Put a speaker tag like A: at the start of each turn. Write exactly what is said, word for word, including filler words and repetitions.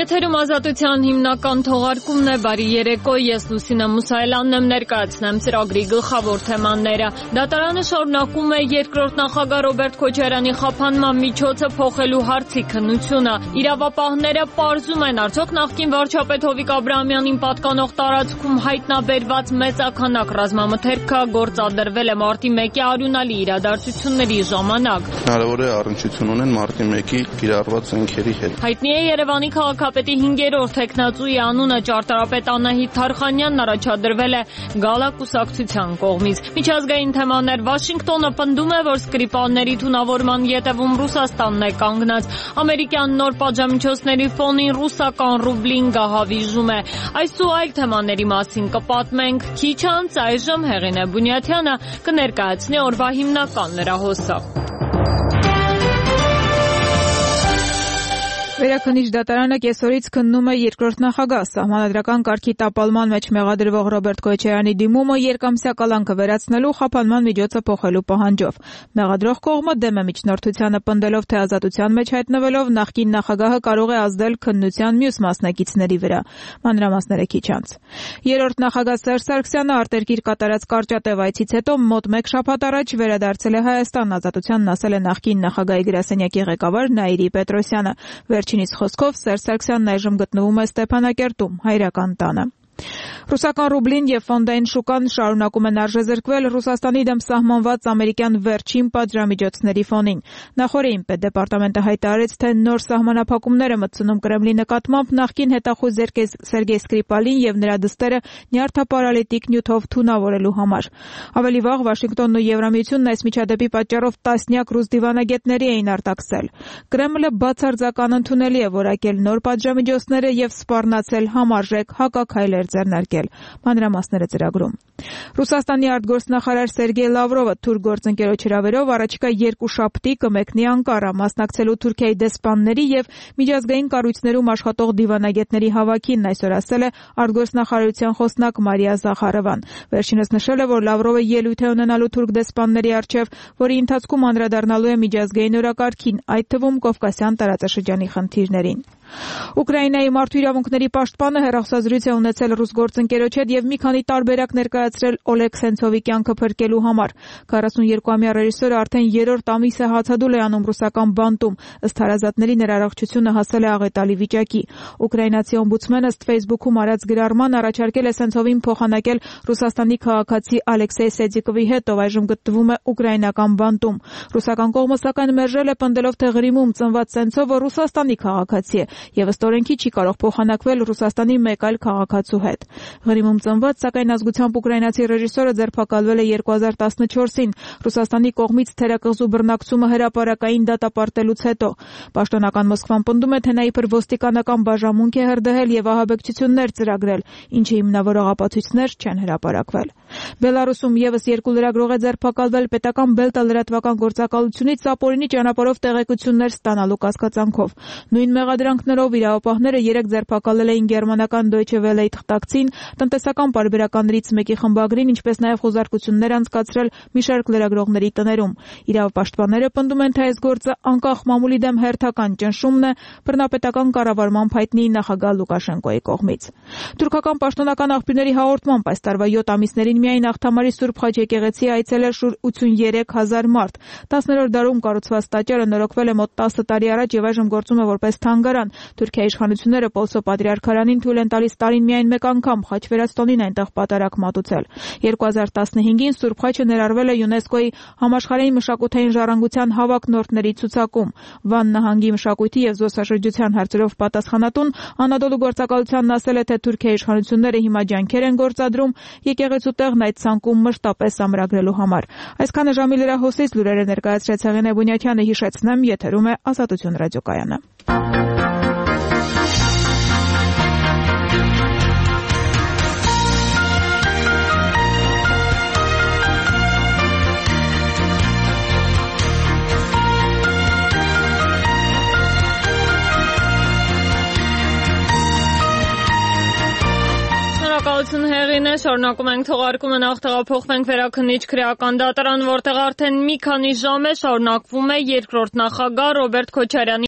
A: Եթերում Ազատության հիմնական թողարկումն է, բարի երեկո, ես Լուսինե Մուսայելյանն եմ, ներկայացնեմ ծրագրի գլխավոր թեմաները։ Դատարանը շարունակում է երկրորդ նախագահ Ռոբերտ Քոչարյանի խափանման միջոցը փոխելու հարցի քննությունը։ Իրավապահները պարզում են, արդյոք նախկին վարչապետ Հովիկ Աբրահամյանին պատկանող տարածքում հայտնաբերված մեծաքանակ ռազմամթերքը գործադրվել է մարտի մեկի արյունալի իրադարձությունների ժամանակ։
B: Հնարավոր է առնչություն ունեն մարտի մեկի կիրառված զենքերի հետ։
A: Հայտնի է Երևանի քաղաքապետի հինգերորդ թեկնածուի անունը, ճարտարապետ Անահիտ Թարխանյանն առաջադրվել է Գալա կուսակցության կողմից։ Միջազգային թեմաներ, Վաշինգտոնը պնդում է, որ Սկրիպալների թունավորման ետևում Ռուսաստանն է կանգնած։ Ամերիկյան նոր պատժամիջոցների ֆոնին ռուսական ռուբլին գահավիժում է։ Այս ու այլ թեմաների մասին կպատմենք քիչ անց, այժմ Հեղինե Բունյաթյանը կներկայացնի օրվա հիմնական լրահոսը։
C: Վերաքննիչ դատարանը կեսօրից քննում է երկրորդ նախագահ, սահմանադրական կարգի տապալման մեջ մեղադրվող Ռոբերտ Քոչարյանի դիմումը երկամսյա կալանքը վերացնելու խափանման միջոցը փոխելու պահանջով։ Մեղադրող կողմը դեմ է միջնորդությանը, պնդելով, թե ազատության մեջ հայտնվելով նախկին նախագահը կարող է ազդել քննության մյուս մասնակիցների վրա։ Մանրամասները քիչ անց։ Երրորդ նախագահ Սերժ Սարգսյանը արտերկիր կատարած կարճատև այցից հետո մոտ մեկ շաբաթ առաջ վերադարձել է Հայաստան, ազատությանն ասել է նախկին նախագահի գրասենյակի ղեկավար Նաիրի Պետրոսյանը։ Վերջինիս խոսքով Սերժ Սարգսյանն այժմ գտնվում է Ստեփանակերտում, հայրական տանը։ Ռուսական ռուբլին եւ ֆոնդային շուկան շարունակում են արժեզրկվել Ռուսաստանի դեմ սահմանված ամերիկյան վերջին պատժամիջոցների ֆոնին։ Նախորդին պետդեպարտամենտը հայտարարեց, թե նոր սահմանափակումներ է մտցնում Կրեմլի նկատմամբ նախկին հետախույզ Սերգեյ Սկրիպալին եւ նրա դստերը նյարդապարալիտիկ նյութով թունավորելու համար։ Ավելի վաղ Վաշինգտոնն ու Եվրամիությունն այս միջադեպի պատճառով տասնյակ ռուս դիվանագետների էին արտաքսել։ Կրեմլը բացարձական ընդունելի է որակել նոր պատժամիջոցները եւ սպառնացել համարժեք հակաքայլեր ձեռնարկել։ Մանրամասները ծրագրում։ Ռուսաստանի արտգործնախարար Սերգեյ Լավրովը թուրք գործընկերոջ հրավերով առաջիկա երկու շաբթի կմեկնի Անկարա, մասնակցելու Թուրքիայի դեսպանների եւ միջազգային կառույցներում աշխատող դիվանագետների հավաքին, այսօր ասել է արտգործնախարարության խոսնակ Մարիա Զախարովան։ Վերջինս նշել է, որ Լավրովը ելույթ է ունենալու թուրք դեսպանների առջև, որի ընթացքում անդրադառնալու է միջազգային օրակարգին, այդ թվում Կովկասյան տարածաշրջանի խնդիրներին։ Ուկրաինայի մարդու իրավունքների պաշտպանը հեռախոսազրույց է ունեցել ռուս գործընկերոջ հետ եւ մի քանի տարբերակ ներկայացրել Օլեգ Սենցովի կյանքը փրկելու համար։ քառասունյոթամյա ռեժիսորը արդեն երրորդ ամիս է հացադուլ է անում ռուսական բանտում, ըստ հարազատների նրա առողջությունը հասել է աղետալի վիճակի։ Ուկրաինացի օմբուդսմենը ըստ Facebook-ում արած գրառման առաջարկել է Սենցովին փոխանակել Ռուսաստանի քաղաքացի Ալեքսեյ Սեդիկովի հետ, ով այժմ գտնվում է ուկրաինական բանտում։ Ռուսական կողմը սակայն մերժել է, պնդելով, թե Ղրիմում ծնված Սենցովը Ռուսաստանի քաղաքացի է եւ ըստ օրենքի չի կարող փոխանակվել Ռուսաստանի մեկ այլ քաղաքացու հետ։ Ղրիմում ծնված, սակայն ազգությամբ ուկրաինացի ռեժիսորը ձերբակալվել է երկու հազար տասնչորսին Ռուսաստանի կողմից թերակղզու բռնակցումը հրապարակային դատապարտելուց հետո։ Պաշտոնական Մոսկվան պնդում է, թե նա իբր ոստիկանական բաժանմունք է հրդեհել եւ ահաբեկչություններ ծրագրել, ինչի հիմնավորող ապացույցներ չեն հրապարակվել։ Բելարուսում եւս երկու լրագրող է ձերբակալվել պետական Բելտա լրատվական գործակալությունից ապօրինի ճանապարհով տեղեկություններ ստանալու կասկածանքով։ Նույն մեղադրանքներով իրավապահները երեք ձերբակալել էին գերմանական Deutsche Welle-ի թղթակցին, տնտեսական պարբերականներից մեկի խմբագրին, ինչպես նաև խոզարկություններ անցկացրել մի շարք լրագրողների տներում։ Իրավապաշտպանները պնդում են, թե այս գործը անկախ մամուլի դեմ հերթական ճնշումն է բռնապետական կառավարման հայտնի նախագահ Լուկաշենկոյի կողմից։ Թուրքական պաշտոնական աղբյուրների հաղորդմամբ այս տարվա յոթ ամիսներին միայն Աղթամարի Սուրբ Խաչ եկեղեցի այցելել շուրջ ութսուներեք հազար մարդ։ տասներորդ դարում կառուցված տաճարը նորոգվել է մոտ տասը տարի առաջ եւ այժմ գործում է որպես թանգարան։ Թուրքիայի իշխանությունները Պոլսո պատրիարքարանին թույլ են տալիս տարին միայն մեկ անգամ խաչվերածտոնին այնտեղ պատարակ մատուցել։ երկու հազար տասնհինգին Սուրբ Խաչը ներառվել է ՅՈՒՆԵՍԿՕ-ի համաշխարհային մշակութային ժառանգության հավակնորդների ցուցակում։ Վան նահանգի մշակույթի եւ զբոսաշրջության հարցերով պատասխանատուն Անադոլու գործակալությանն ասել է, թե Թուրքիայի իշխանությունները հիմա ջանքեր են գործադրում եկեղեցու տեղն այդ ցանկում մշտապես ամրագրելու համար։ Այսքանը ժամի լրահոսից լուրերը ներկայացրեց Հեղինե Բունյաթյանը, հիշեցնեմ, եթերում է Ազատություն ռադիոկայանը։
A: Շնորհակալություն Հեղինե, շարունակում ենք թողարկումը, նախ տեղափոխվենք Վերաքննիչ քրեական դատարան, որտեղ արդեն մի քանի ժամ է շարունակվում է երկրորդ նախագահ Ռոբերտ Քոչարյանի